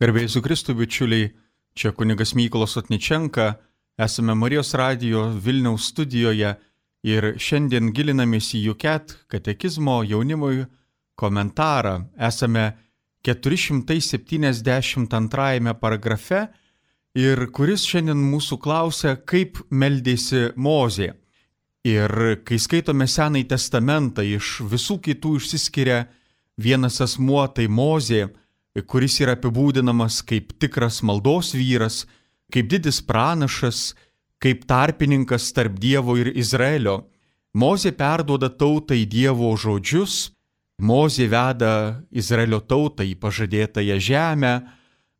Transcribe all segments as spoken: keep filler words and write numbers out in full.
Garbėjai Jėzui Kristui, bičiuliai, čia kunigas Mykolas Otničenka, esame Marijos radijo Vilniaus studijoje ir šiandien gilinamės į Juket katekizmo jaunimui komentarą. Esame keturi šimtai septyniasdešimt antrajame paragrafe ir kuris šiandien mūsų klausia, kaip meldėsi Mozė. Ir kai skaitome Senąjį testamentą, iš visų kitų išsiskiria vienas asmuo, tai Mozė, kuris yra apibūdinamas kaip tikras maldos vyras, kaip didis pranašas, kaip tarpininkas tarp Dievo ir Izraelio. Mozė perduoda tautai Dievo žodžius, Mozė veda Izraelio tautą į pažadėtąją žemę,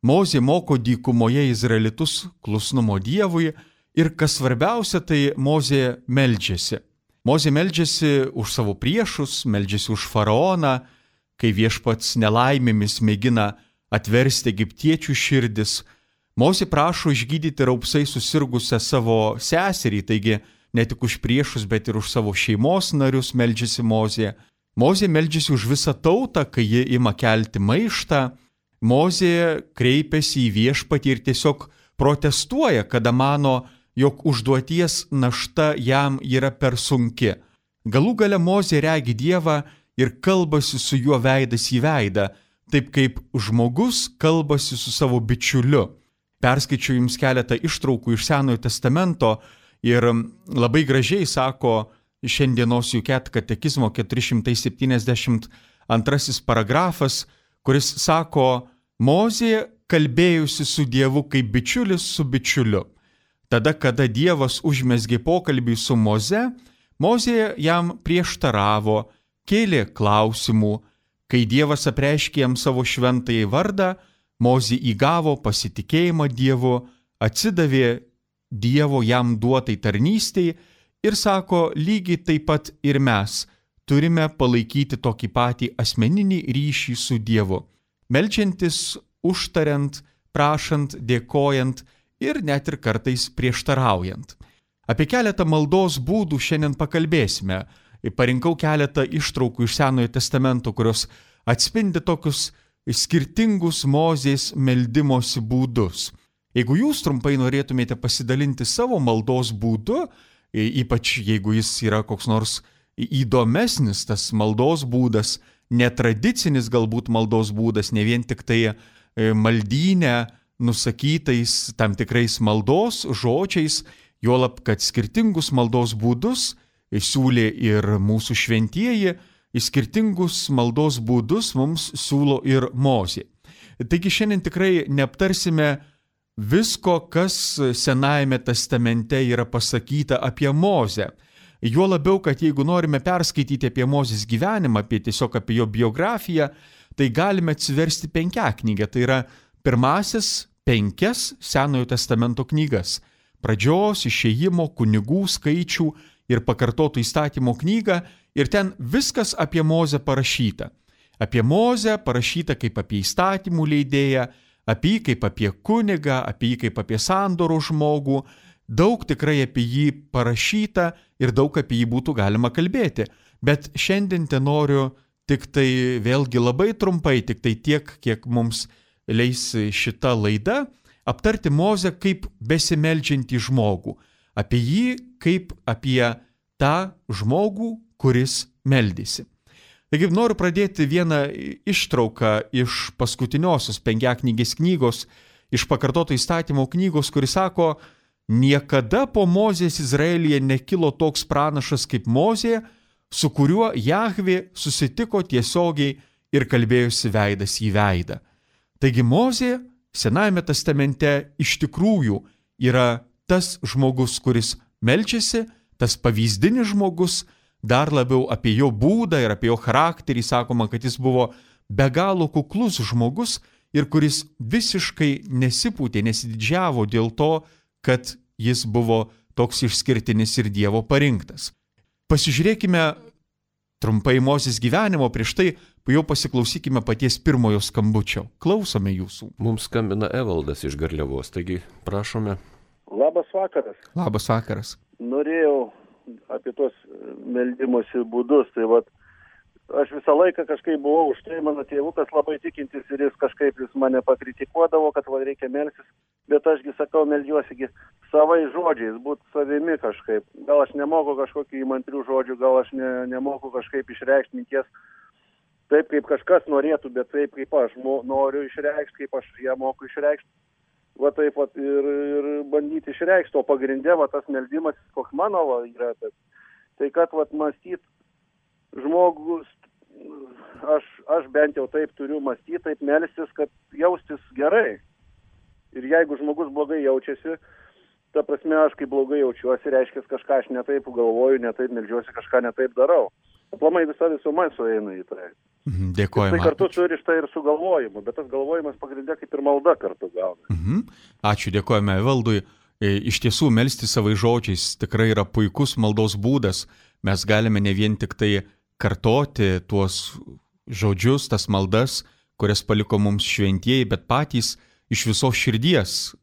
Mozė moko dykumoje izraelitus klusnumo Dievui ir kas svarbiausia, tai Mozė meldžiasi. Mozė meldžiasi už savo priešus, meldžiasi už faraoną, kai viešpats nelaimėmis mėgina atversti egiptiečių širdis. Mozė prašo išgydyti raupsai susirgusią savo seserį, taigi ne tik už priešus, bet ir už savo šeimos narius meldžiasi Mozė. Mozė meldžiasi už visą tautą, kai ji ima kelti maištą. Mozė kreipiasi į viešpatį ir tiesiog protestuoja, kada mano, jog užduoties našta jam yra per sunki. Galų gale Mozė regi Dievą ir kalbasi su juo veidas į veidą, taip kaip žmogus kalbasi su savo bičiuliu. Perskaičiu jums keletą ištraukų iš Senojo testamento ir labai gražiai sako šiandienos Juket katekizmo keturi šimtai septyniasdešimt antrasis paragrafas, kuris sako, Mozė kalbėjusi su Dievu kaip bičiulis su bičiuliu. Tada, kada Dievas užmezgė pokalbį su Moze, Mozė jam prieštaravo, kėlė klausimų. Kai Dievas apreiškė jam savo šventąjį vardą, Mozė įgavo pasitikėjimą Dievu, atsidavė Dievo jam duotai tarnystei ir sako, lygiai taip pat ir mes turime palaikyti tokį patį asmeninį ryšį su Dievu, meldžiantis, užtariant, prašant, dėkojant ir net ir kartais prieštaraujant. Apie keletą maldos būdų šiandien pakalbėsime. Parinkau keletą ištraukų iš Senojo testamento, kurios atspindi tokius skirtingus Mozės meldimosi būdus. Jeigu jūs trumpai norėtumėte pasidalinti savo maldos būdu, ypač jeigu jis yra koks nors įdomesnis tas maldos būdas, netradicinis galbūt maldos būdas, ne vien tik tai maldyne nusakytais tam tikrais maldos žodžiais, juolab, kad skirtingus maldos būdus siūlė ir mūsų šventieji, skirtingus maldos būdus mums siūlo ir Mozė. Taigi šiandien tikrai neaptarsime visko, kas Senajame testamente yra pasakyta apie Mozę. Juo labiau, kad jeigu norime perskaityti apie Mozės gyvenimą, apie tiesiog apie jo biografiją, tai galime atsiversti penkiaknygę, tai yra pirmasis penkias Senojo testamento knygas. Pradžios, išėjimo, kunigų, skaičių ir pakartotų įstatymo knygą, ir ten viskas apie Mozę parašyta. Apie Mozę parašyta kaip apie įstatymų leidėją, apie jį kaip apie kunigą, apie jį kaip apie sandoro žmogų. Daug tikrai apie jį parašyta ir daug apie jį būtų galima kalbėti. Bet šiandien te noriu tik tai vėlgi labai trumpai, tik tai tiek, kiek mums leis šita laida, aptarti Mozę kaip besimeldžiantį žmogų. Apie jį kaip apie tą žmogų, kuris meldėsi. Taigi noriu pradėti vieną ištrauką iš paskutiniosios penkiaknygės knygos, iš pakartoto įstatymo knygos, kuris sako, niekada po Mozės Izraelyje nekilo toks pranašas kaip Mozė, su kuriuo Jahvė susitiko tiesiogiai ir kalbėjosi veidas į veidą. Taigi Mozė Senajame testamente iš tikrųjų yra tas žmogus, kuris meldžiasi, tas pavyzdinis žmogus, dar labiau apie jo būdą ir apie jo charakterį sakoma, kad jis buvo be galo kuklus žmogus ir kuris visiškai nesipūtė, nesididžiavo dėl to, kad jis buvo toks išskirtinis ir Dievo parinktas. Pasižiūrėkime trumpai Mozės gyvenimo, prieš tai jau pasiklausykime paties pirmojo skambučio. Klausome jūsų. Mums skambina Evaldas iš Garliavos, taigi prašome. Labas vakaras. Labas vakaras. Norėjau apie tos meldimosi būdus, tai vat aš visą laiką kažkaip buvau už tai, mano tėvukas labai tikintis ir jis kažkaip jis mane pakritikuodavo, kad va reikia melstis, bet ašgi sakau, meldžiuosigi savai žodžiais, būt savimi kažkaip. Gal aš nemoku kažkokių įmantrių žodžių, gal aš ne, nemoku kažkaip išreikšti minties taip, kaip kažkas norėtų, bet taip, kaip aš mo, noriu išreikšti, kaip aš ją moku išreikšti. Va taip va, ir, ir bandyti išreikšti, o pagrindė va tas meldimas, koks mano va, yra, tai, tai kad va mąstyt žmogus, aš, aš bent jau taip turiu mąstyti, taip melstis, kad jaustis gerai. Ir jeigu žmogus blogai jaučiasi, ta prasme, aš kaip blogai jaučiuosi, reiškia, kažką aš netaip galvoju, netaip meldžiuosi, kažką netaip darau. Aplamai visa visuma sueina į tai. Dėkojame. Tai kartu surišta ir su galvojimu, bet tas galvojimas pagrindė kaip ir malda kartu gauna. Mhm. Ačiū, dėkojame Evaldui. Iš tiesų, melsti savai žodžiais tikrai yra puikus maldos būdas. Mes galime ne vien tik tai kartoti tuos žodžius, tas maldas, kurias paliko mums šventieji, bet patys iš visos širdies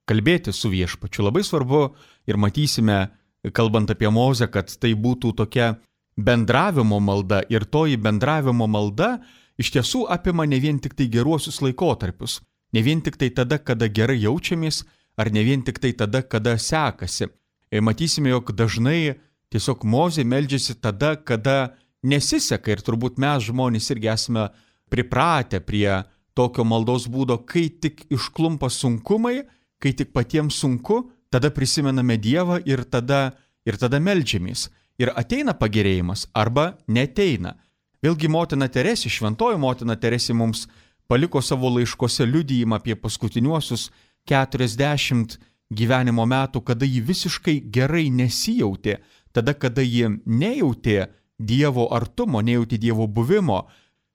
kalbėti su viešpačiu. Labai svarbu ir matysime, kalbant apie Mozę, kad tai būtų tokia bendravimo malda ir toji bendravimo malda iš tiesų apima ne vien tik tai geruosius laikotarpius, ne vien tik tai tada, kada gerai jaučiamės, ar ne vien tik tai tada, kada sekasi. Ir matysime, jog dažnai tiesiog Mozė meldžiasi tada, kada nesiseka ir turbūt mes žmonės irgi esame pripratę prie tokio maldos būdo, kai tik išklumpa sunkumai, kai tik patiems sunku, tada prisimename Dievą ir tada, ir tada meldžiamės. Ir ateina pagerėjimas arba neteina. Vėlgi motina Teresė, šventoji motina Teresė mums paliko savo laiškose liudijimą apie paskutiniuosius keturiasdešimt gyvenimo metų, kada ji visiškai gerai nesijautė, tada, kada ji nejautė Dievo artumo, nejautė Dievo buvimo.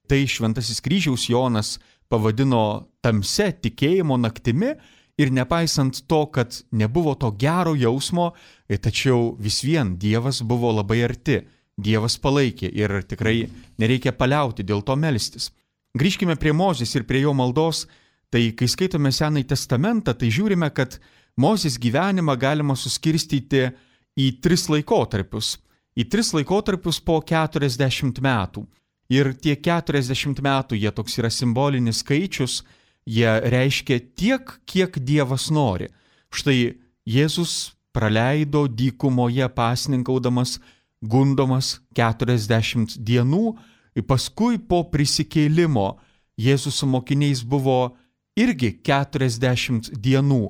Tai šventasis kryžiaus Jonas pavadino tamse tikėjimo naktimi. Ir nepaisant to, kad nebuvo to gero jausmo, tačiau vis vien Dievas buvo labai arti, Dievas palaikė ir tikrai nereikia paliauti dėl to melstis. Grįžkime prie Mozės ir prie jo maldos, tai kai skaitome Senąjį testamentą, tai žiūrime, kad Mozės gyvenimą galima suskirstyti į tris laikotarpius. Į tris laikotarpius po keturiasdešimt metų. Ir tie keturiasdešimt metų, jie toks yra simbolinis skaičius, jie reiškia tiek, kiek Dievas nori. Štai Jėzus praleido dykumoje pasninkaudamas, gundomas keturiasdešimt dienų, ir paskui po prisikėlimo Jėzus su mokiniais buvo irgi keturiasdešimt dienų,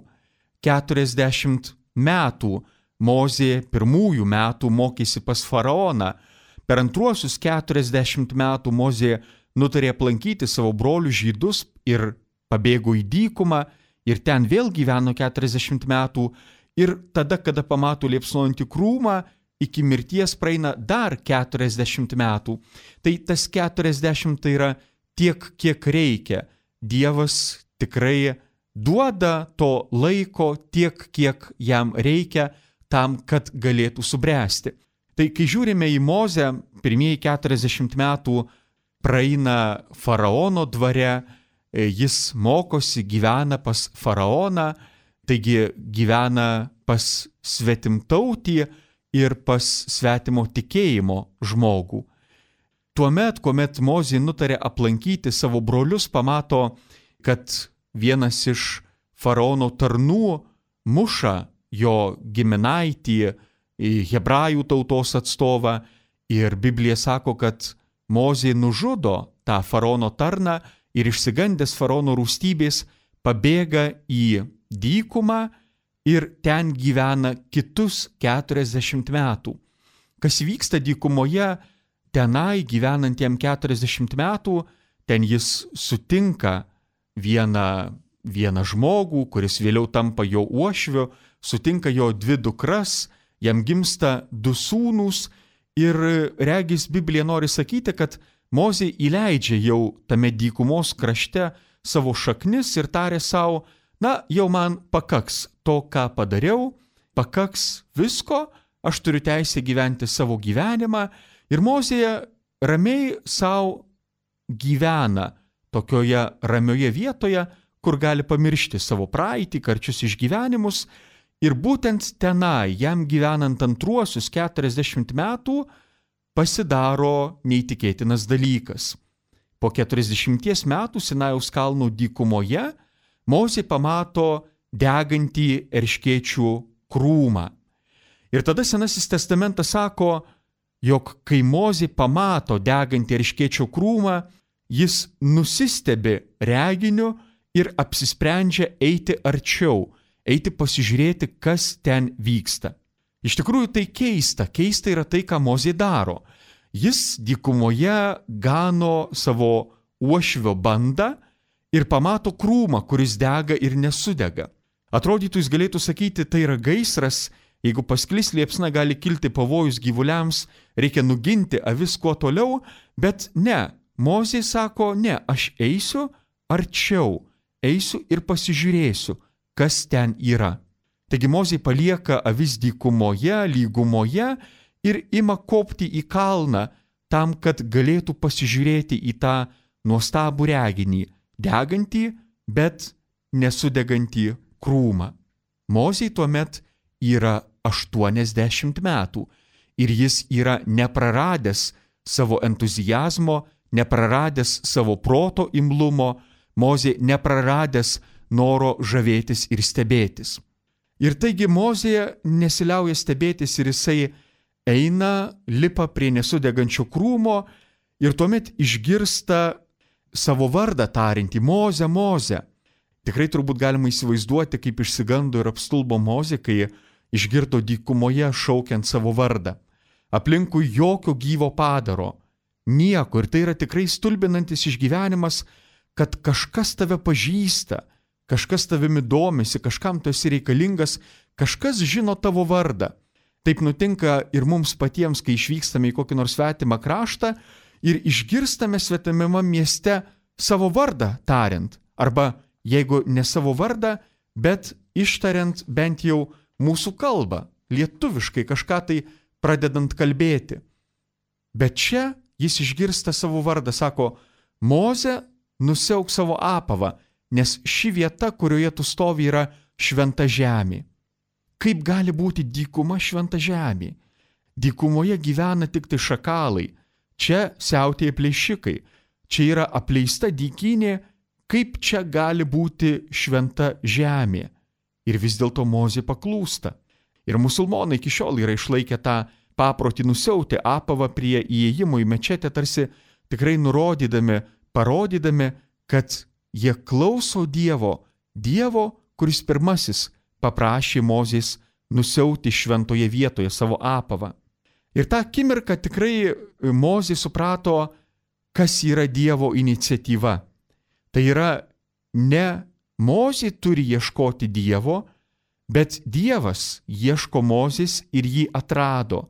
keturiasdešimt metų. Mozė pirmųjų metų mokėsi pas faraoną. Per antruosius keturiasdešimt metų Mozė nutarė aplankyti savo brolių žydus ir pabėgo į dykumą ir ten vėl gyveno keturiasdešimt metų ir tada, kada pamato liepsnojantį krūmą, iki mirties praeina dar keturiasdešimt metų. Tai tas keturiasdešimt tai yra tiek, kiek reikia. Dievas tikrai duoda to laiko tiek, kiek jam reikia tam, kad galėtų subręsti. Tai kai žiūrime į Mozę, pirmieji keturiasdešimt metų praeina faraono dvare, jis mokosi, gyvena pas faraoną, taigi gyvena pas svetimtautį ir pas svetimo tikėjimo žmogų. Tuomet, kuomet Mozė nutarė aplankyti savo brolius, pamato, kad vienas iš faraono tarnų muša jo giminaitį, hebrajų tautos atstovą, ir Biblija sako, kad Mozė nužudo tą faraono tarną ir išsigandęs faraono rūstybės pabėga į dykumą ir ten gyvena kitus keturiasdešimt metų. Kas vyksta dykumoje, tenai gyvenantiem keturiasdešimt metų, ten jis sutinka vieną, vieną žmogų, kuris vėliau tampa jo uošviu, sutinka jo dvi dukras, jam gimsta du sūnūs ir regis Biblija nori sakyti, kad Mozė įleidžia jau tame dykumos krašte savo šaknis ir tarė savo, na, jau man pakaks to, ką padariau, pakaks visko, aš turiu teisę gyventi savo gyvenimą. Ir Mozė ramiai savo gyvena tokioje ramioje vietoje, kur gali pamiršti savo praeitį, karčius išgyvenimus. Ir būtent tenai, jam gyvenant antruosius keturiasdešimt metų, pasidaro neįtikėtinas dalykas. Po keturiasdešimties metų Sinajaus kalnų dykumoje Mozė pamato degantį erškėčių krūmą. Ir tada Senasis testamentas sako, jog kai Mozė pamato degantį erškėčių krūmą, jis nusistebi reginiu ir apsisprendžia eiti arčiau, eiti pasižiūrėti, kas ten vyksta. Iš tikrųjų tai keista, keista yra tai, ką Mozė daro. Jis dykumoje gano savo uošvio bandą ir pamato krūmą, kuris dega ir nesudega. Atrodytų, jis galėtų sakyti, tai yra gaisras, jeigu pasklis liepsna gali kilti pavojus gyvuliams, reikia nuginti avis kuo toliau, bet ne, Mozė sako, ne, aš eisiu arčiau, eisiu ir pasižiūrėsiu, kas ten yra. Taigi Mozė palieka avis dykumoje, lygumoje ir ima kopti į kalną tam, kad galėtų pasižiūrėti į tą nuostabų reginį, degantį, bet nesudegantį krūmą. Mozei tuomet yra aštuoniasdešimt metų ir jis yra nepraradęs savo entuzijazmo, nepraradęs savo proto imlumo, Mozė nepraradęs noro žavėtis ir stebėtis. Ir taigi Mozė nesiliauja stebėtis ir jisai eina, lipa prie nesudegančio krūmo ir tuomet išgirsta savo vardą tariantį Mozę, Mozę. Tikrai turbūt galima įsivaizduoti, kaip išsigando ir apstulbo Mozė, kai išgirdo dykumoje šaukiant savo vardą. Aplinkui jokio gyvo padaro, nieko, ir tai yra tikrai stulbinantis išgyvenimas, kad kažkas tave pažįsta, kažkas tavimi domisi, kažkam tu esi reikalingas, kažkas žino tavo vardą. Taip nutinka ir mums patiems, kai išvykstame į kokį nors svetimą kraštą ir išgirstame svetimame mieste savo vardą tariant, arba jeigu ne savo vardą, bet ištariant bent jau mūsų kalbą, lietuviškai kažką tai pradedant kalbėti. Bet čia jis išgirsta savo vardą, sako, Moze, nusiauk savo apavą, nes ši vieta, kurioje tu stovi, yra šventa žemė. Kaip gali būti dykuma šventa žemė? Dykumoje gyvena tik tai šakalai, čia siautėja plėšikai, čia yra apleista dykynė, kaip čia gali būti šventa žemė? Ir vis dėlto Mozė paklūsta. Ir musulmonai iki šiol yra išlaikę tą paprotį nusiauti apavą prie įėjimo į mečetę, tarsi tikrai nurodydami, parodydami, kad jie klauso Dievo, Dievo, kuris pirmasis paprašė Mozės nusiauti šventoje vietoje savo apavą. Ir tą akimirką tikrai Mozė suprato, kas yra Dievo iniciatyva. Tai yra ne Mozė turi ieškoti Dievo, bet Dievas ieško Mozės ir jį atrado.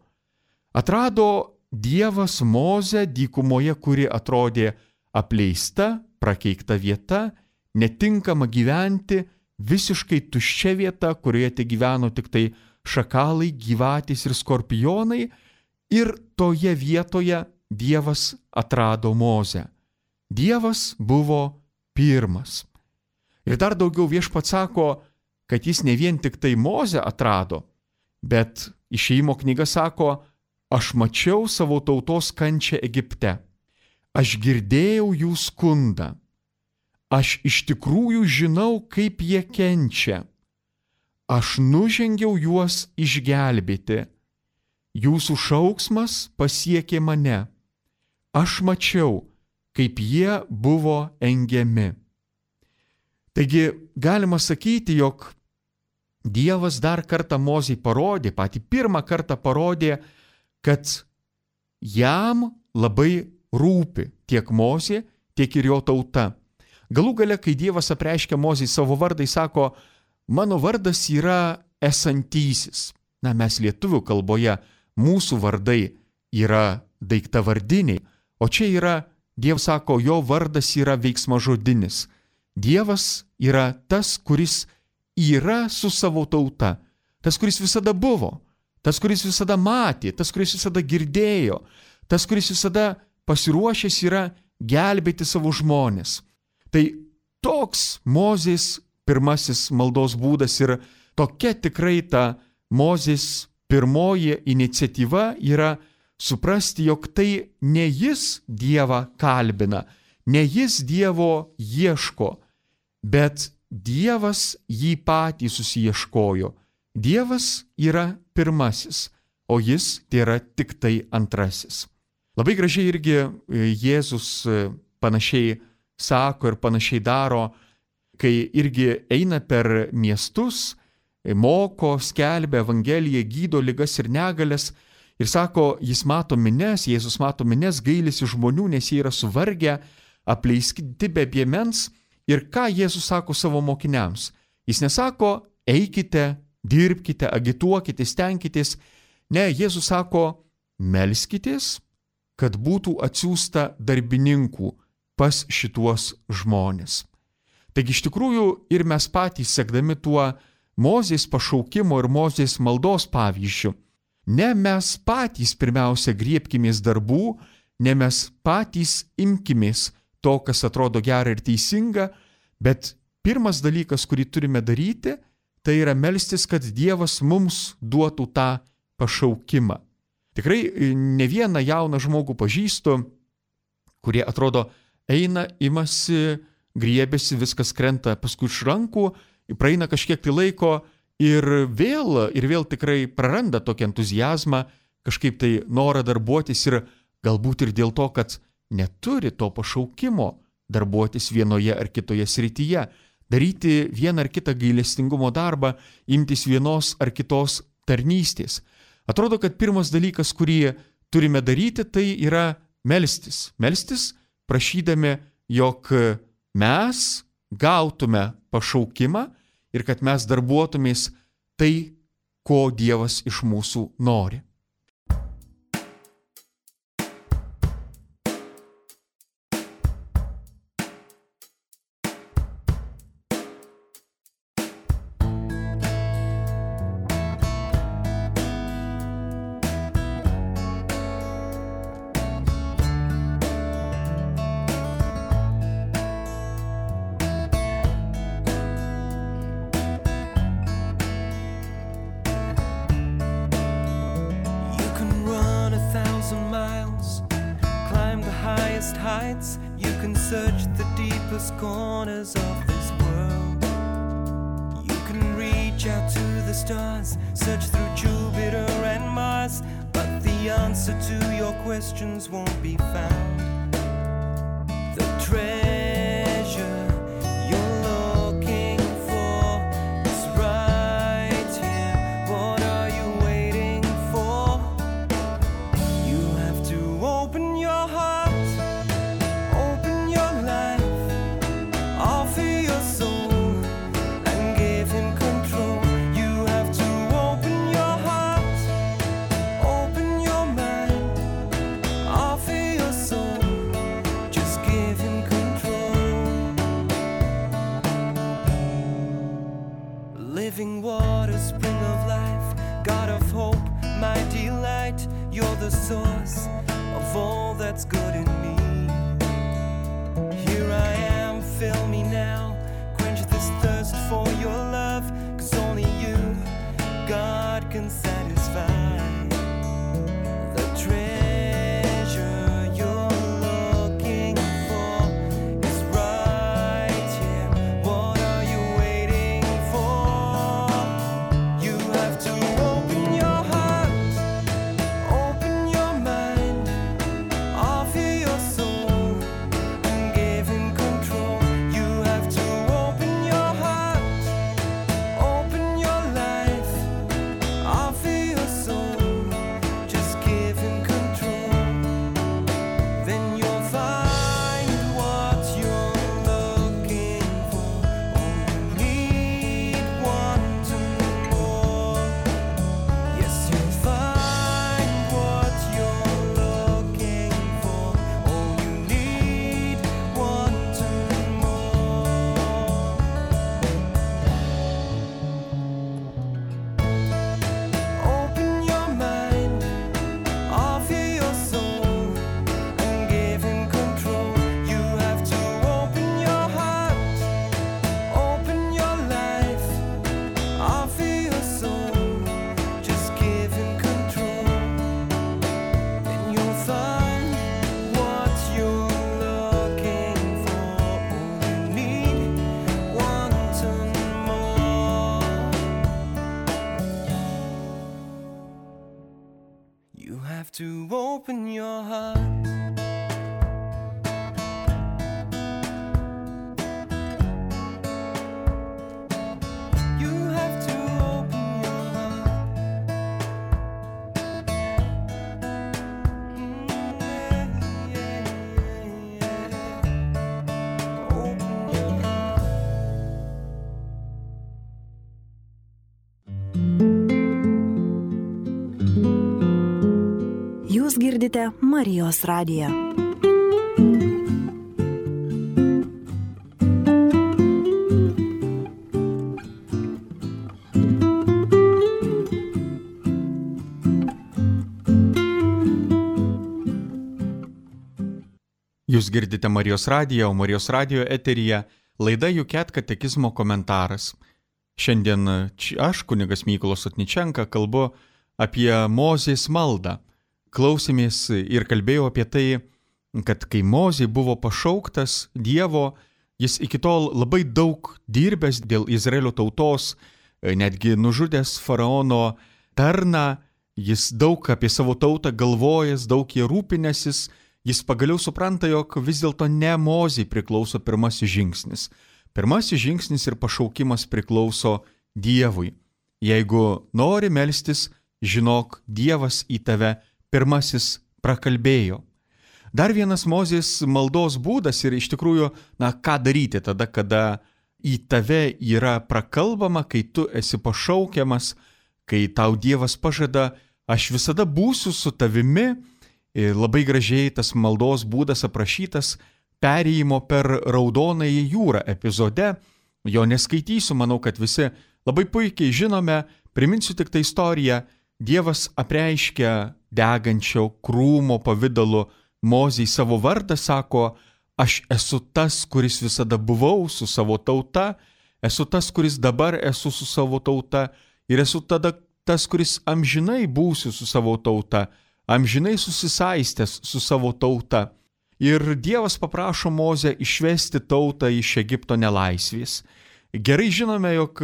Atrado Dievas Mozę dykumoje, kuri atrodė apleista, prakeikta vieta, netinkama gyventi, visiškai tuščia vieta, kurioje te gyveno tik tai šakalai, gyvatės ir skorpionai, ir toje vietoje Dievas atrado Mozę. Dievas buvo pirmas. Ir dar daugiau Viešpats sako, kad jis ne vien tik tai Mozę atrado, bet Išėjimo knyga sako, aš mačiau savo tautos kančią Egipte, aš girdėjau jų skundą, aš iš tikrųjų žinau, kaip jie kenčia, aš nužengiau juos išgelbėti, jūsų šauksmas pasiekė mane, aš mačiau, kaip jie buvo engiami. Taigi galima sakyti, jog Dievas dar kartą Mozei parodė, patį pirmą kartą parodė, kad jam labai rūpi tiek Mozė, tiek ir jo tauta. Galų gale, kai Dievas apreiškia Mozei savo vardą, jis sako, mano vardas yra esantysis. Na, mes lietuvių kalboje, mūsų vardai yra daiktavardiniai, o čia yra, Dievas sako, jo vardas yra veiksmažodinis. Dievas yra tas, kuris yra su savo tauta, tas, kuris visada buvo, tas, kuris visada matė, tas, kuris visada girdėjo, tas, kuris visada pasiruošęs yra gelbėti savo žmones. Tai toks Mozės pirmasis maldos būdas ir tokia tikrai ta Mozės pirmoji iniciatyva yra suprasti, jog tai ne jis Dievą kalbina, ne jis Dievo ieško, bet Dievas jį patį susiieškojo. Dievas yra pirmasis, o jis tai yra tik tai antrasis. Labai gražiai irgi Jėzus panašiai sako ir panašiai daro, kai irgi eina per miestus, moko, skelbia Evangeliją, gydo ligas ir negalias ir sako, jis mato mines, Jėzus mato mines, gailisi žmonių, nes jie yra suvargę, apleisti be piemens. Ir ką Jėzus sako savo mokiniams? Jis nesako, eikite, dirbkite, agituokite, stenkitės. Ne, Jėzus sako, melskitės, kad būtų atsiųsta darbininkų pas šituos žmonės. Taigi iš tikrųjų ir mes patys, sekdami tuo Mozės pašaukimo ir Mozės maldos pavyzdžiu, ne mes patys pirmiausia griebkimės darbų, ne mes patys imkimės to, kas atrodo gera ir teisinga, bet pirmas dalykas, kurį turime daryti, tai yra melstis, kad Dievas mums duotų tą pašaukimą. Tikrai ne vieną jauną žmogų pažįstu, kurie atrodo eina, imasi, griebėsi, viskas krenta paskui iš rankų, praeina kažkiek tai laiko ir vėl, ir vėl tikrai praranda tokį entuziazmą, kažkaip tai norą darbuotis ir galbūt ir dėl to, kad neturi to pašaukimo darbuotis vienoje ar kitoje srityje, daryti vieną ar kitą gailestingumo darbą, imtis vienos ar kitos tarnystės. Atrodo, kad pirmas dalykas, kurį turime daryti, tai yra melstis. Melstis, prašydami, jog mes gautume pašaukimą ir kad mes darbuotumės tai, ko Dievas iš mūsų nori. Heights, you can search the deepest corners of this world. You can reach out to the stars, search through Jupiter and Mars, but the answer to your questions won't be found. The treasure you're looking for is right here. What are you waiting for? You have to open your heart, living water, spring of life, God of hope, my delight. You're the source of all that's good in me. Here I am, fill me now, quench this thirst for your love, 'cause only you, God, can satisfy. The treasure you're looking for is right here. What are you waiting for? You have to open your heart, open your mind, offer your soul and give him control. You have to open your heart, open your life, offer have to open your heart. Jūs girdite Marijos radiją. Jūs girdite Marijos radiją, o Marijos radijo eteryje laida Juket katekizmo komentaras. Šiandien aš, kunigas Mykolas Sotničenka, kalbu apie Mozės maldą. Klausėmės ir kalbėjau apie tai, kad kai Mozė buvo pašauktas Dievo, jis iki tol labai daug dirbęs dėl Izraelio tautos, netgi nužudęs faraono tarną, jis daug apie savo tautą galvojęs, daug jie rūpinęsis, jis pagaliau supranta, jog vis dėlto ne Mozei priklauso pirmasis žingsnis. Pirmasis žingsnis ir pašaukimas priklauso Dievui. Jeigu nori melstis, žinok, Dievas į tave pirmasis prakalbėjo. Dar vienas Mozės maldos būdas ir iš tikrųjų, na, ką daryti tada, kada į tave yra prakalbama, kai tu esi pašaukiamas, kai tau Dievas pažada, aš visada būsiu su tavimi. Ir labai gražiai tas maldos būdas aprašytas perėjimo per Raudonąją jūrą epizode. Jo neskaitysiu, manau, kad visi labai puikiai žinome. Priminsiu tik tą istoriją. Dievas apreiškia degančio krūmo pavidalu Mozei savo vardą, sako, aš esu tas, kuris visada buvau su savo tauta, esu tas, kuris dabar esu su savo tauta ir esu tada tas, kuris amžinai būsiu su savo tauta, amžinai susisaistęs su savo tauta. Ir Dievas paprašo Mozę išvesti tautą iš Egipto nelaisvės. Gerai žinome, jog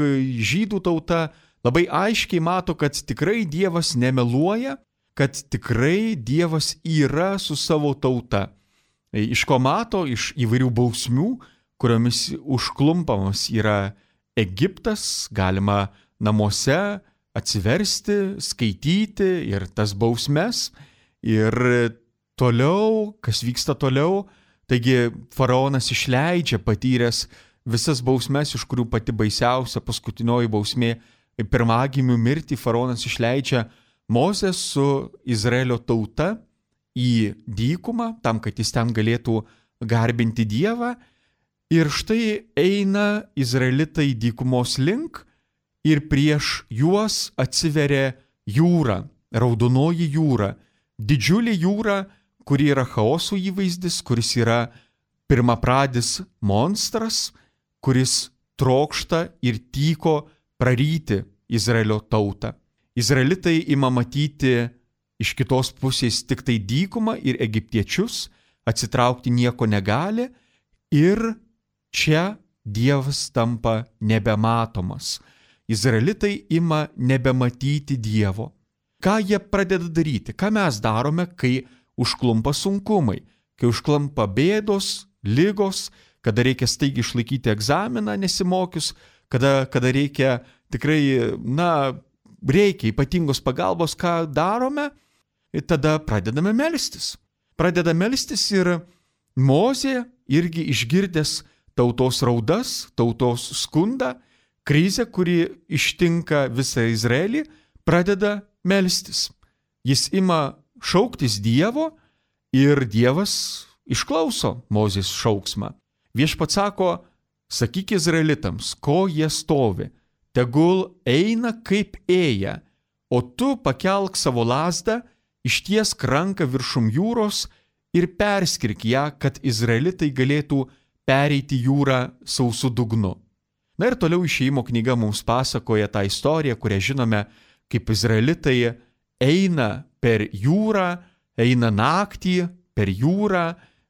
žydų tauta labai aiškiai mato, kad tikrai Dievas nemeluoja, kad tikrai Dievas yra su savo tauta. Iš ko mato? Iš įvairių bausmių, kuriomis užklumpamas yra Egiptas, galima namuose atsiversti, skaityti ir tas bausmes. Ir toliau, kas vyksta toliau, taigi faraonas išleidžia patyręs visas bausmes, iš kurių pati baisiausia paskutinioji bausmė pirmagimių mirtį, faraonas išleidžia Mozę su Izraelio tauta į dykumą, tam, kad jis ten galėtų garbinti Dievą. Ir štai eina izraelitai dykumos link ir prieš juos atsiveria jūra, Raudonoji jūra, didžiulė jūra, kuri yra chaoso įvaizdis, kuris yra pirmapradis monstras, kuris trokšta ir tyko praryti Izraelio tautą. Izraelitai ima matyti iš kitos pusės tik tai dykumą ir egiptiečius, atsitraukti nieko negali ir čia Dievas tampa nebematomas. Izraelitai ima nebematyti Dievo. Ką jie pradeda daryti? Ką mes darome, kai užklumpa sunkumai, kai užklumpa bėdos, ligos, kada reikia staigiai išlaikyti egzaminą nesimokius, kada, kada reikia tikrai, na, reikia ypatingos pagalbos, ką darome, ir tada pradedame melstis. Pradeda melstis ir Mozė irgi išgirdęs tautos raudas, tautos skundą, krizę, kuri ištinka visą Izraelį, pradeda melstis. Jis ima šauktis Dievo ir Dievas išklauso Mozės šauksmą. Viešpats sako, sakyk izraelitams, ko jie stovi, tegul eina kaip ėja, o tu pakelk savo lazdą, ištiesk ranką viršum jūros ir perskirk ją, kad izraelitai galėtų pereiti jūrą sausu dugnu. Na ir toliau Išėjimo knyga mums pasakoja tą istoriją, kurią žinome, kaip izraelitai eina per jūrą, eina naktį per jūrą,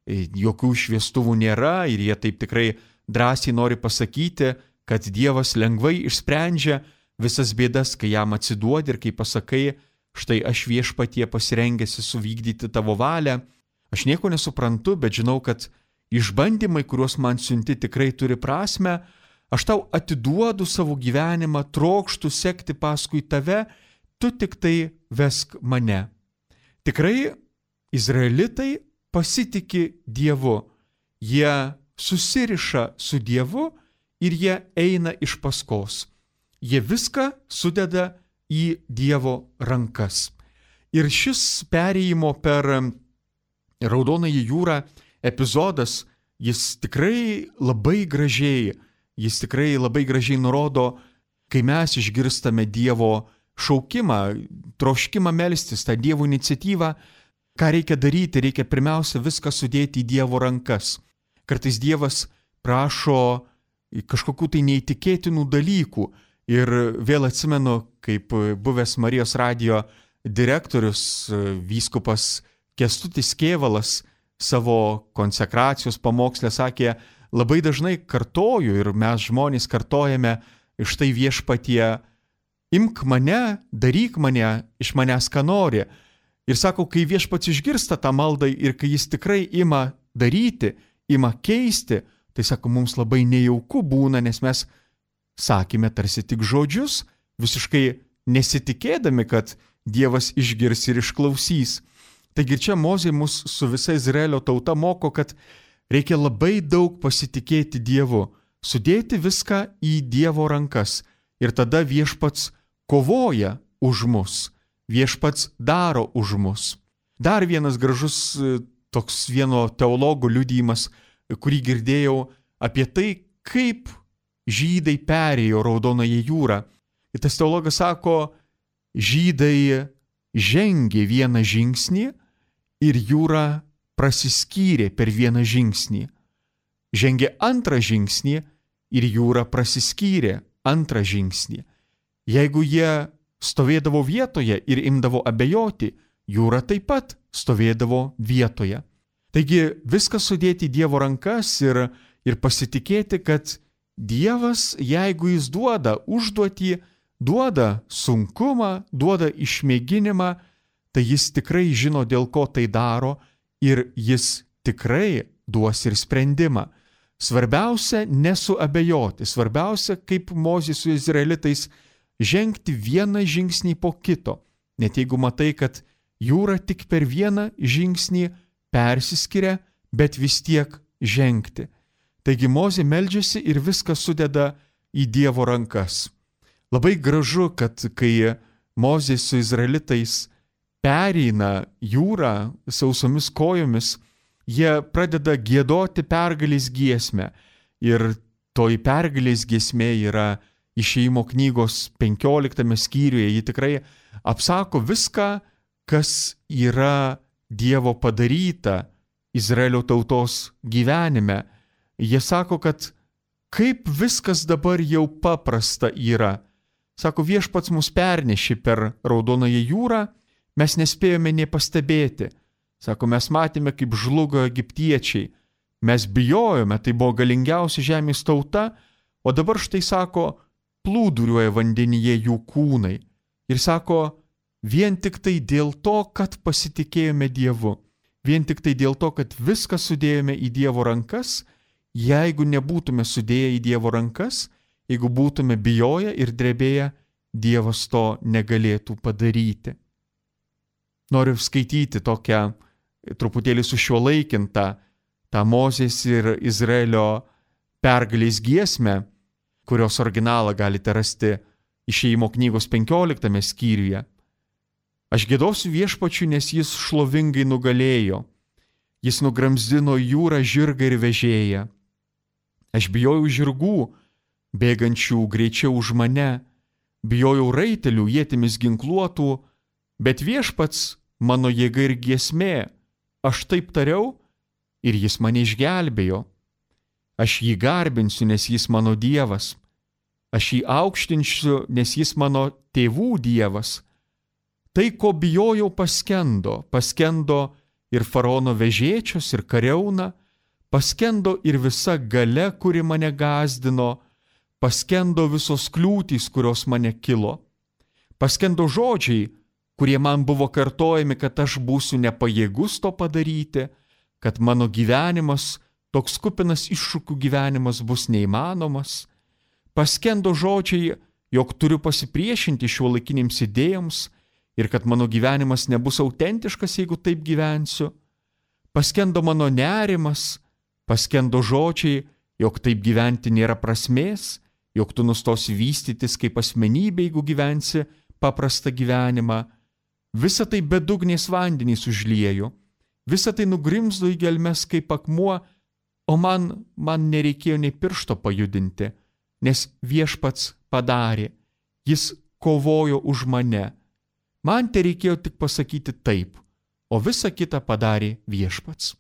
jokių šviestuvų nėra ir jie taip tikrai drąsiai nori pasakyti, kad Dievas lengvai išsprendžia visas bėdas, kai jam atsiduodi ir kai pasakai, štai aš Viešpatie pasirengęs suvykdyti tavo valią, aš nieko nesuprantu, bet žinau, kad išbandymai, kuriuos man siunti, tikrai turi prasmę, aš tau atiduodu savo gyvenimą, trokštu sekti paskui tave, tu tik tai vesk mane. Tikrai izraelitai pasitiki Dievu, jie susiriša su Dievu ir jie eina iš paskos. Jie viską sudeda į Dievo rankas. Ir šis perėjimo per Raudonąją jūrą epizodas, jis tikrai labai gražiai, jis tikrai labai gražiai nurodo, kai mes išgirstame Dievo šaukimą, troškimą melstis, tą Dievo iniciatyvą, ką reikia daryti, reikia pirmiausia viską sudėti į Dievo rankas. Kartais Dievas prašo kažkokių tai neįtikėtinų dalykų ir vėl atsimenu, kaip buvęs Marijos radijo direktorius, vyskupas Kęstutis Kėvalas savo konsekracijos pamokslę sakė, labai dažnai kartoju ir mes žmonės kartojame štai Viešpatie, imk mane, daryk mane, iš manęs ką nori. Ir sako, kai Viešpats išgirsta tą maldą ir kai jis tikrai ima daryti, ima keisti, tai sako, mums labai nejauku būna, nes mes sakėme tarsi tik žodžius, visiškai nesitikėdami, kad Dievas išgirs ir išklausys. Taigi čia Mozė mus su visa Izraelio tauta moko, kad reikia labai daug pasitikėti Dievu, sudėti viską į Dievo rankas ir tada Viešpats kovoja už mus, Viešpats daro už mus. Dar vienas gražus toks vieno teologo liudijimas, kurį girdėjau apie tai, kaip žydai perėjo Raudonąją jūrą. Ir tas teologas sako, žydai žengė vieną žingsnį ir jūra prasiskyrė per vieną žingsnį. Žengė antrą žingsnį ir jūra prasiskyrė antrą žingsnį. Jeigu jie stovėdavo vietoje ir imdavo abejoti, jūra taip pat stovėdavo vietoje. Taigi viską sudėti į Dievo rankas ir, ir pasitikėti, kad Dievas, jeigu jis duoda užduotį, duoda sunkumą, duoda išmėginimą, tai jis tikrai žino, dėl ko tai daro ir jis tikrai duos ir sprendimą. Svarbiausia nesuabejoti, svarbiausia, kaip Mozė su izraelitais, žengti vieną žingsnį po kito, net jeigu matai, kad jūra tik per vieną žingsnį persiskiria, bet vis tiek žengti. Taigi Mozė meldžiasi ir viską sudeda į Dievo rankas. Labai gražu, kad kai Mozė su izraelitais pereina jūrą sausomis kojomis, jie pradeda giedoti pergalės giesmę. Ir toji pergalės giesmė yra Išėjimo knygos penkioliktame skyriuje. Ji tikrai apsako viską, kas yra Dievo padaryta Izraelio tautos gyvenime. Jie sako, kad kaip viskas dabar jau paprasta yra. Sako, Viešpats mus pernešė per Raudonąją jūrą, mes nespėjome nė pastebėti. Sako, mes matėme, kaip žlugo egiptiečiai. Mes bijojome, tai buvo galingiausia žemės tauta, o dabar štai sako, plūduriuoja vandenyje jų kūnai. Ir sako, vien tik tai dėl to, kad pasitikėjome Dievu, vien tik tai dėl to, kad viską sudėjome į Dievo rankas, jeigu nebūtume sudėję į Dievo rankas, jeigu būtume bijoję ir drebėję, Dievas to negalėtų padaryti. Noriu skaityti tokią truputėlį sušiuolaikintą tą Mozės ir Izraelio pergalės giesmę, kurios originalą galite rasti Išėjimo knygos penkioliktame skyriuje. Aš giedosiu Viešpačiui, nes jis šlovingai nugalėjo. Jis nugramzdino jūrą žirgą ir vežėją. Aš bijojau žirgų, bėgančių greičiau už mane, bijojau raitelių ietimis ginkluotų, bet Viešpats mano jėga ir giesmė, aš taip tariau ir jis mane išgelbėjo. Aš jį garbinsiu, nes jis mano Dievas. Aš jį aukštinsiu, nes jis mano tėvų Dievas. Tai, ko bijojau, paskendo, paskendo ir faraono vežėčios ir kariauna, paskendo ir visa galia, kuri mane gąsdino, paskendo visos kliūtys, kurios mane kilo. Paskendo žodžiai, kurie man buvo kartojami, kad aš būsiu nepajėgus to padaryti, kad mano gyvenimas, toks kupinas iššūkių gyvenimas bus neįmanomas. Paskendo žodžiai, jog turiu pasipriešinti šiuolaikinėms idėjoms ir kad mano gyvenimas nebus autentiškas, jeigu taip gyvensiu. Paskendo mano nerimas, paskendo žodžiai, jog taip gyventi nėra prasmės, jog tu nustosi vystytis kaip asmenybė, jeigu gyvensi paprastą gyvenimą. Visa tai bedugnės vandenys užliejo, visa tai nugrimzdo į gelmes kaip akmuo, o man, man nereikėjo nei piršto pajudinti, nes viešpats padarė, jis kovojo už mane. Man tereikėjo tik pasakyti taip, o visa kita padarė viešpats.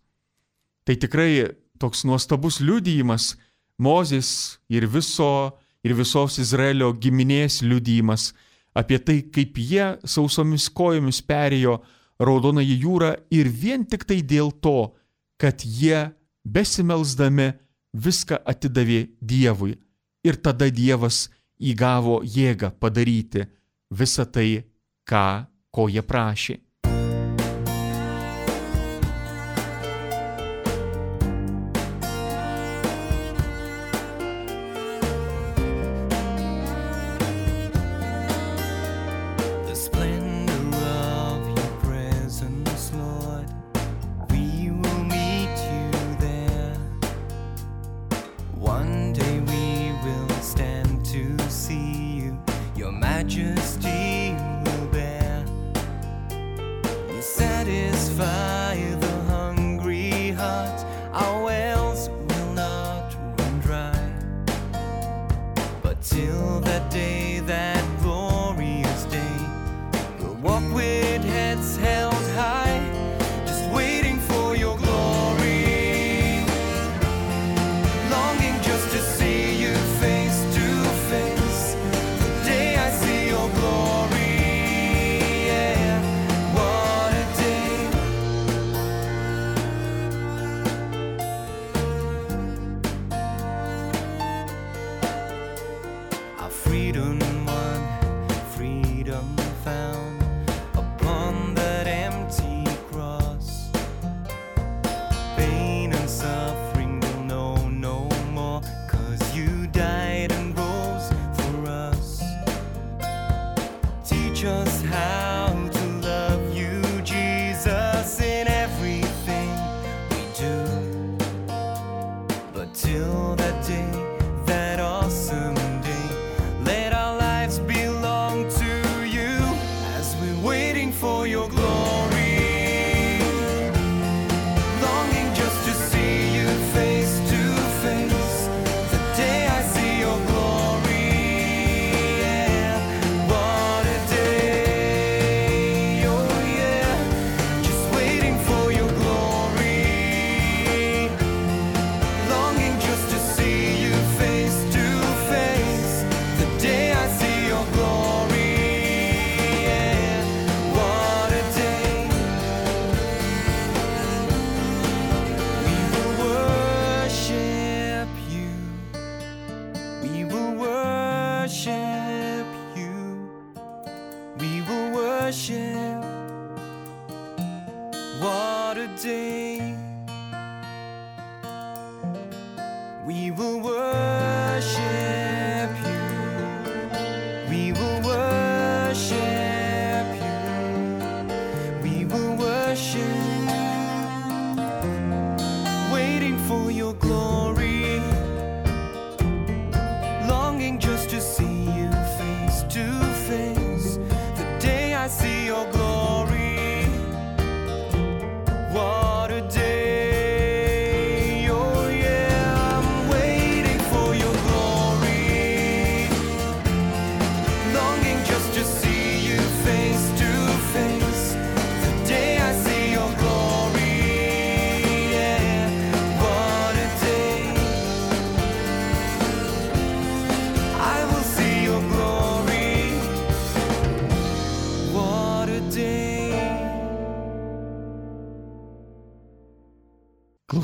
Tai tikrai toks nuostabus liudijimas, Mozės ir viso ir visos Izraelio giminės liudijimas apie tai, kaip jie sausomis kojomis perėjo Raudonąją jūrą ir vien tik tai dėl to, kad jie besimelsdami viską atidavė Dievui. Ir tada Dievas įgavo jėgą padaryti visą tai, ką, ko jie prašė.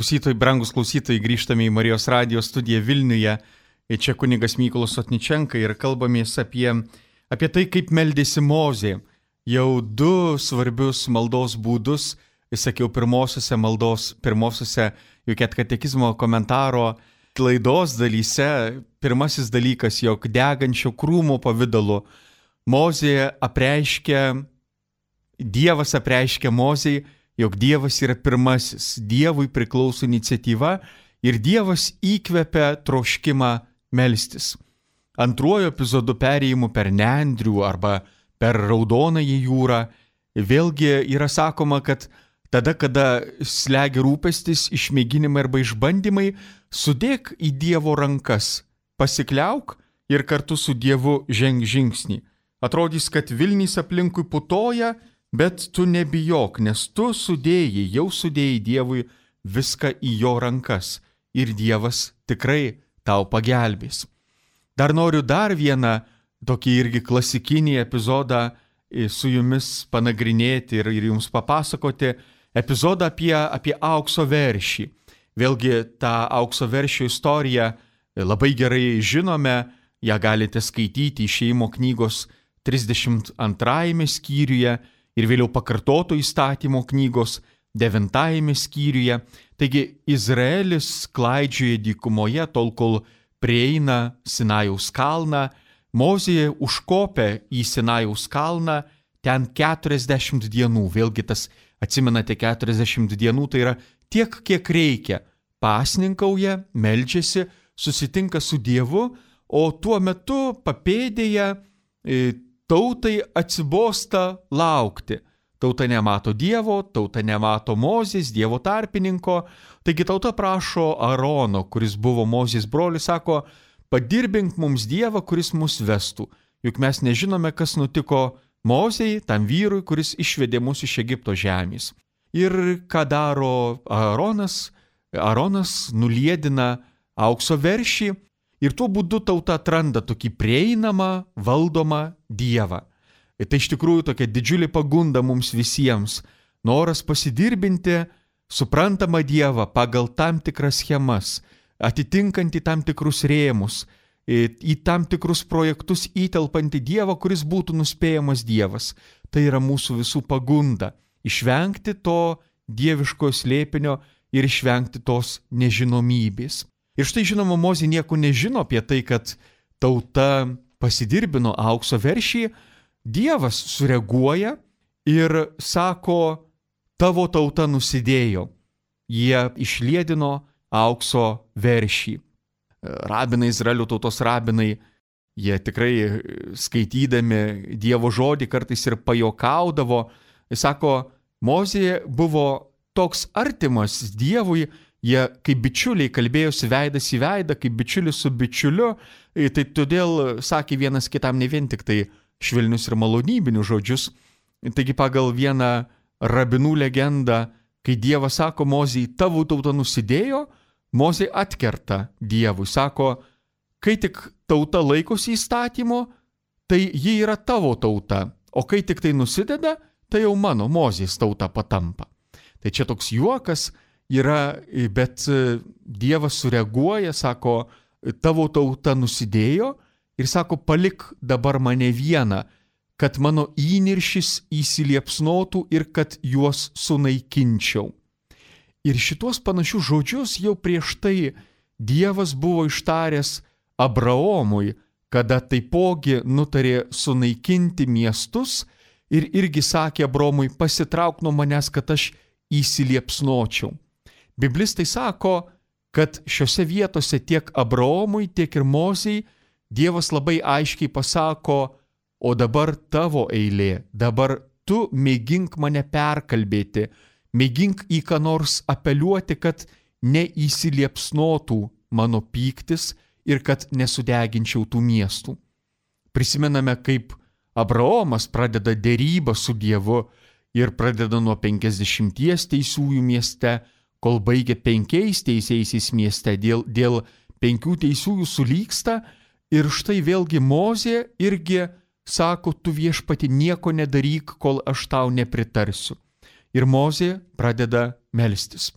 Klausytojai, brangus klausytojai, grįžtame į Marijos radijo studiją Vilniuje. Čia kunigas Mykolas Sotničenka ir kalbamės apie, apie tai, kaip meldėsi Mozė. jau du svarbius maldos būdus, sakiau, pirmosiuose maldos, pirmosiuose Juket katekizmo komentaro laidos dalyse. Pirmasis dalykas, jog degančio krūmo pavidalu Mozė apreiškia, Dievas apreiškia Mozei, jog Dievas yra pirmasis, Dievui priklauso iniciatyva ir Dievas įkvepia troškimą melstis. Antruoju epizodu perėjimu per Nendrių arba per Raudonąją jūrą vėlgi yra sakoma, kad tada, kada slegia rūpestis, išmėginimai arba išbandymai, sudėk į Dievo rankas, pasikliauk ir kartu su Dievu ženk žingsnį. Atrodys, kad Vilnys aplinkui putoja, bet tu nebijok, nes tu sudėjai, jau sudėjai Dievui viską į jo rankas ir Dievas tikrai tau pagelbės. Dar noriu dar vieną tokį irgi klasikinį epizodą su jumis panagrinėti ir, ir jums papasakoti. Epizodą apie, apie aukso veršį. Vėlgi tą aukso veršio istoriją labai gerai žinome, ją galite skaityti Išėjimo knygos trisdešimt antrajame skyriuje ir vėliau Pakartoto įstatymo knygos devintajame skyriuje. Taigi Izraelis klaidžioja dykumoje tol, kol prieina Sinajaus kalną. Mozė užkopė į Sinajaus kalną ten keturiasdešimt dienų. Vėlgi tas, atsimenate, keturiasdešimt dienų tai yra tiek, kiek reikia. Pasninkauja, meldžiasi, susitinka su Dievu, o tuo metu papėdėje tautai atsibosta laukti. Tauta nemato Dievo, tauta nemato Mozės, Dievo tarpininko. Taigi tauta prašo Arono, kuris buvo Mozės brolis, sako, padirbink mums Dievą, kuris mus vestų. Juk mes nežinome, kas nutiko Mozei, tam vyrui, kuris išvedė mus iš Egipto žemės. Ir ką daro Aronas? Aronas nuliedina aukso veršį ir tuo būdu tauta atranda tokį prieinamą, valdomą Dievą. Ir tai iš tikrųjų tokia didžiulė pagunda mums visiems. Noras pasidirbinti suprantamą Dievą pagal tam tikras schemas, atitinkantį tam tikrus rėmus, į tam tikrus projektus įtelpantį Dievą, kuris būtų nuspėjamas Dievas. Tai yra mūsų visų pagunda. Išvengti to dieviško slėpinio ir išvengti tos nežinomybės. Ir štai žinoma, Mozė nieko nežino apie tai, kad tauta pasidirbino aukso veršį. Dievas sureaguoja ir sako, tavo tauta nusidėjo. Jie išliedino aukso veršį. Rabinai, Izraelio tautos rabinai, jie tikrai skaitydami Dievo žodį kartais ir pajuokaudavo. Jis sako, Mozė buvo toks artimas Dievui, jie kaip bičiuliai kalbėjosi veidas į veidą, kaip bičiulis su bičiuliu, tai todėl sakė vienas kitam ne vien tik tai švelnius ir malonybinius žodžius. Taigi pagal vieną rabinų legendą, kai Dievas sako Mozei, tavo tauta nusidėjo, Mozė atkerta Dievui, sako, kai tik tauta laikosi įstatymo, tai ji yra tavo tauta, o kai tik tai nusideda, tai jau mano Mozės tauta patampa. Tai čia toks juokas yra, bet Dievas sureaguoja, sako, tavo tauta nusidėjo ir sako, palik dabar mane vieną, kad mano įniršis įsiliepsnotų ir kad juos sunaikinčiau. Ir šitos panašius žodžius jau prieš tai Dievas buvo ištaręs Abraomui, kada taipogi nutarė sunaikinti miestus ir irgi sakė Abraomui, pasitrauk nuo manęs, kad aš įsiliepsnočiau. Biblistai sako, kad šiose vietose tiek Abraomui, tiek ir Mozei Dievas labai aiškiai pasako, o dabar tavo eilė, dabar tu mėgink mane perkalbėti, mėgink į ką nors apeliuoti, kad neįsiliepsnotų mano pyktis ir kad nesudeginčiau tų miestų. Prisimename, kaip Abraomas pradeda derybą su Dievu ir pradeda nuo penkiasdešimties teisiųjų mieste, kol baigia penkiais teisiaisiais mieste, dėl, dėl penkių teisiųjų sulyksta ir štai vėlgi Mozė irgi sako, tu viešpati nieko nedaryk, kol aš tau nepritarsiu. Ir Mozė pradeda melstis.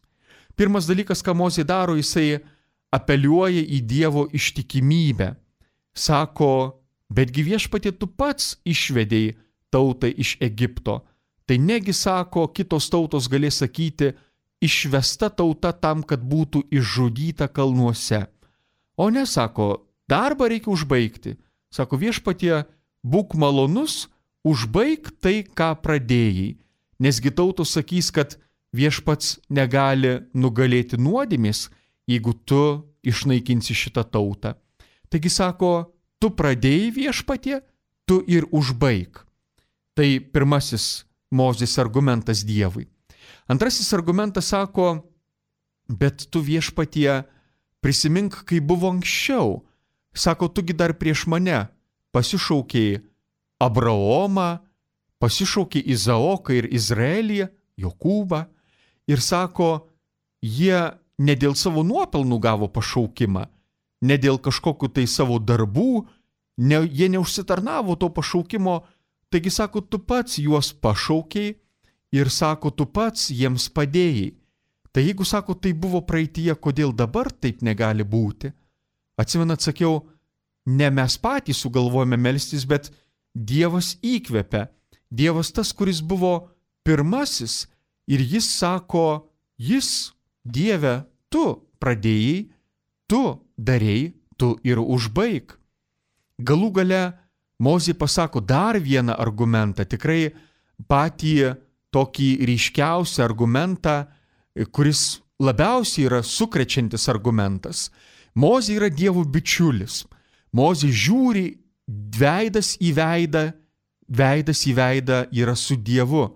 Pirmas dalykas, ką Mozė daro, jisai apeliuoja į Dievo ištikimybę. Sako, betgi viešpatie tu pats išvedei tautai iš Egipto. Tai negi, sako, kitos tautos galės sakyti, išvesta tauta tam, kad būtų išžudyta kalnuose. O ne, sako, darbą reikia užbaigti. Sako, viešpatie, būk malonus, užbaig tai, ką pradėjai. Nesgi tautos sakys, kad viešpats negali nugalėti nuodėmės, jeigu tu išnaikinsi šitą tautą. Taigi, sako, tu pradėjai viešpatie, tu ir užbaig. Tai pirmasis Mozės argumentas Dievui. Antrasis argumentas sako, bet tu viešpatie prisimink, kai buvo anksčiau. Sako, tugi dar prieš mane pasišaukei Abraomą, pasišaukei Izaoką ir Izraelį, Jokūbą. Ir sako, jie ne dėl savo nuopelnų gavo pašaukimą, ne dėl kažkokių tai savo darbų, ne, jie neužsitarnavo to pašaukimo. Taigi, sako, tu pats juos pašaukiai ir, sako, tu pats jiems padėjai. Tai jeigu, sako, tai buvo praeityje, kodėl dabar taip negali būti? Atsimenat, sakiau, ne mes patys sugalvojame melstis, bet Dievas įkvepia. Dievas tas, kuris buvo pirmasis ir jis sako, jis, Dieve, tu pradėjai, tu darėjai, tu ir užbaig. Galų gale Mozė pasako dar vieną argumentą, tikrai patį tokį ryškiausią argumentą, kuris labiausiai yra sukrečiantis argumentas. Mozė yra Dievo bičiulis. Mozė žiūri veidas į veidą, veidas į veidą yra su Dievu.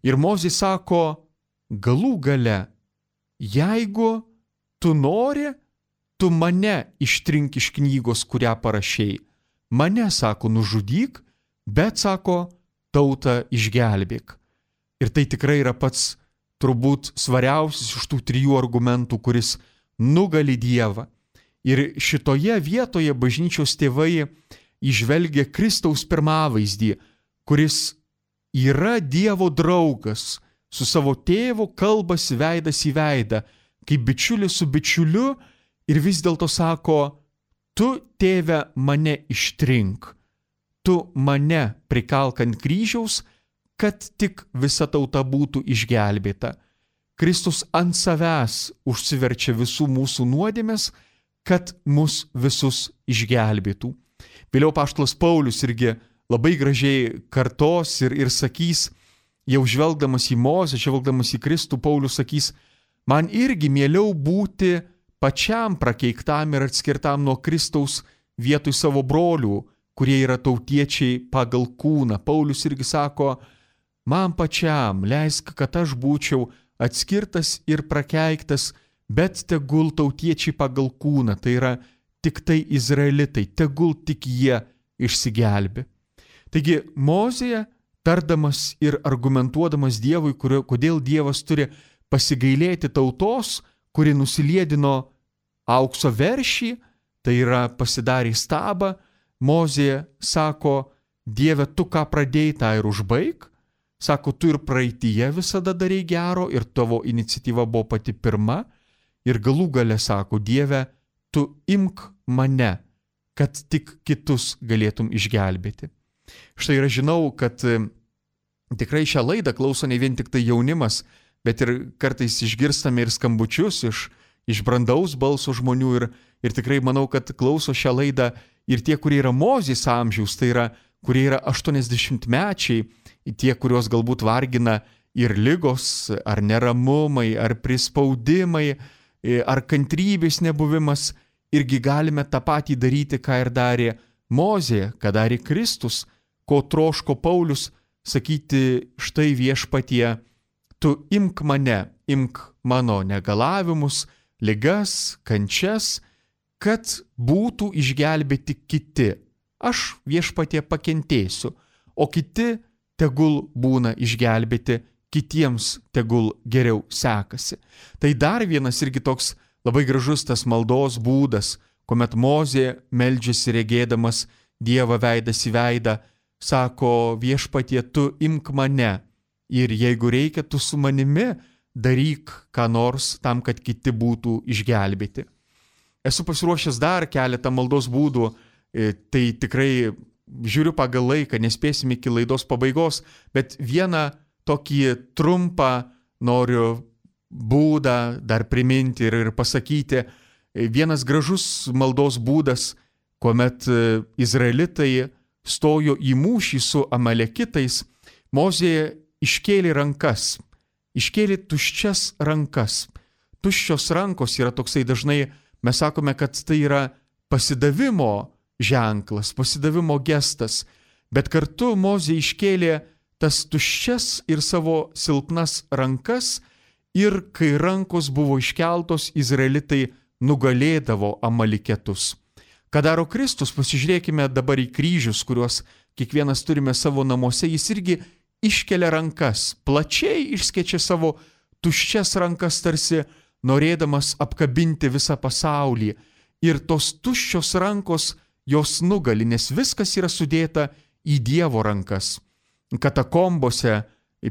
Ir Mozė sako, galų gale, jeigu tu nori, tu mane ištrink iš knygos, kurią parašei. Mane, sako, nužudyk, bet, sako, tautą išgelbėk. Ir tai tikrai yra pats turbūt svariausias iš tų trijų argumentų, kuris nugali Dievą. Ir šitoje vietoje bažnyčios tėvai įžvelgia Kristaus pirmavaizdį, kuris yra Dievo draugas, su savo tėvu kalbasi veidas į veidą, kaip bičiulis su bičiuliu, ir vis dėlto sako, tu, tėve, mane ištrink, tu mane prikalk ant kryžiaus, kad tik visa tauta būtų išgelbėta. Kristus ant savęs užsiverčia visų mūsų nuodėmes, kad mus visus išgelbėtų. Vėliau apaštalas Paulius irgi labai gražiai kartos ir, ir sakys, jau žvelgdamas į Mozę, žvelgdamas į Kristų, Paulius sakys, man irgi mieliau būti pačiam prakeiktam ir atskirtam nuo Kristaus vietoj savo brolių, kurie yra tautiečiai pagal kūną. Paulius irgi sako, man pačiam leisk, kad aš būčiau atskirtas ir prakeiktas, bet tegul tautiečiai pagal kūną, tai yra tik tai izraelitai, tegul tik jie išsigelbė. Taigi Mozė, tardamas ir argumentuodamas Dievui, kurio, kodėl Dievas turi pasigailėti tautos, kuri nusiliedino aukso veršį, tai yra pasidarė stabą, Mozė sako, Dieve, tu ką pradėjai, tą ir užbaig. Sako, tu ir praeityje visada darei gero ir tavo iniciatyva buvo pati pirma. Ir galų gale sako, Dieve, tu imk mane, kad tik kitus galėtum išgelbėti. Štai ir aš žinau, kad tikrai šią laidą klauso ne vien tik tai jaunimas, bet ir kartais išgirstame ir skambučius iš, iš brandaus balso žmonių ir, ir tikrai manau, kad klauso šią laidą ir tie, kurie yra Mozės amžiaus, tai yra, kurie yra aštuoniasdešimtmečiai, tie, kurios galbūt vargina ir ligos, ar neramumai, ar prispaudimai, ar kantrybės nebuvimas, irgi galime tą patį daryti, ką ir darė Mozė, ką darė Kristus, ko troško Paulius, sakyti, štai viešpatie, tu imk mane, imk mano negalavimus, ligas, kančias, kad būtų išgelbėti kiti. Aš viešpatie pakentėsiu, o kiti tegul būna išgelbėti, kitiems tegul geriau sekasi. Tai dar vienas irgi toks labai gražus tas maldos būdas, kuomet Mozė meldžiasi regėdamas Dievą veidas į veidą, sako, viešpatie, tu imk mane ir jeigu reikia, tu su manimi daryk ką nors tam, kad kiti būtų išgelbėti. Esu pasiruošęs dar keletą maldos būdų, tai tikrai žiūriu pagal laiką, nespėsim iki laidos pabaigos, bet vieną tokį trumpą noriu būdą dar priminti ir, ir pasakyti. Vienas gražus maldos būdas, kuomet izraelitai stojo į mūšį su amalekitais, Mozė iškėlė rankas, iškėlė tuščias rankas. Tuščios rankos yra toksai dažnai, mes sakome, kad tai yra pasidavimo ženklas, pasidavimo gestas, bet kartu Mozė iškėlė tas tuščias ir savo silpnas rankas ir kai rankos buvo iškeltos, izraelitai nugalėdavo amaliketus. Ką daro Kristus, pasižiūrėkime dabar į kryžius, kuriuos kiekvienas turime savo namuose, jis irgi iškelia rankas, plačiai išskečia savo tuščias rankas, tarsi norėdamas apkabinti visą pasaulį. Ir tos tuščios rankos jos nugali, nes viskas yra sudėta į Dievo rankas. Katakombose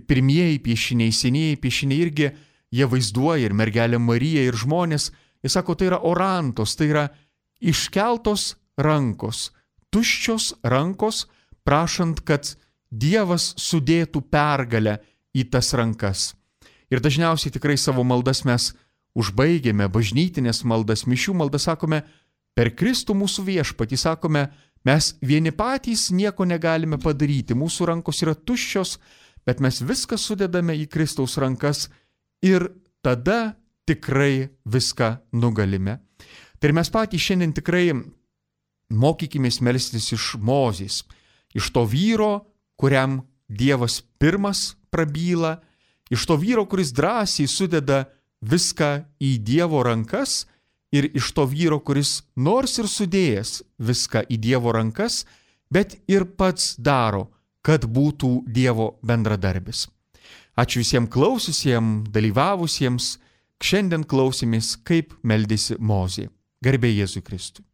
pirmieji piešiniai, senieji piešiniai irgi jie vaizduoja ir mergelę Mariją, ir žmonės. Jis sako, tai yra orantos, tai yra iškeltos rankos, tuščios rankos, prašant, kad Dievas sudėtų pergalę į tas rankas. Ir dažniausiai tikrai savo maldas mes užbaigėme, bažnytinės maldas, mišių maldas, sakome, per Kristų mūsų viešpatį, sakome, mes vieni patys nieko negalime padaryti, mūsų rankos yra tuščios, bet mes viską sudedame į Kristaus rankas ir tada tikrai viską nugalime. Tai ir mes patys šiandien tikrai mokykimės melstis iš Mozės, iš to vyro, kuriam Dievas pirmas prabyla, iš to vyro, kuris drąsiai sudeda viską į Dievo rankas ir iš to vyro, kuris nors ir sudėjęs viską į Dievo rankas, bet ir pats daro, kad būtų Dievo bendradarbis. Ačiū visiems klausiusiems, dalyvavusiems, šiandien klausėmės, kaip meldėsi Mozė. Garbė Jėzui Kristui.